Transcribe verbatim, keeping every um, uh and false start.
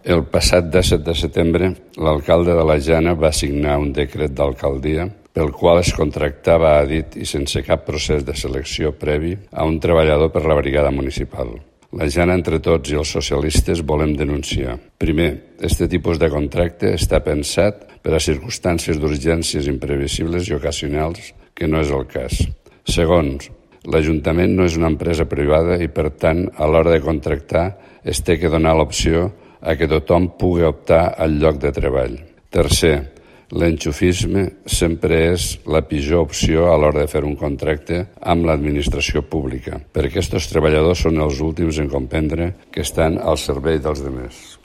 El passat disset de setembre, l'alcalde de la Jana va signar un decret d'alcaldia pel qual es contractava a dit i sense cap procés de selecció previ a un treballador per la brigada municipal. La Jana, entre tots i els socialistes, volem denunciar. Primer, este tipus de contracte està pensat per a circumstàncies d'urgències imprevisibles i ocasionals, que no és el cas. Segon, l'Ajuntament no és una empresa privada i, per tant, a l'hora de contractar es té que donar l'opció a que tothom pugui optar al lloc de treball. Tercer, l'enxufisme sempre és la pitjor opció a l'hora de fer un contracte amb l'administració pública, perquè aquests treballadors són els últims en comprendre que estan al servei dels demés.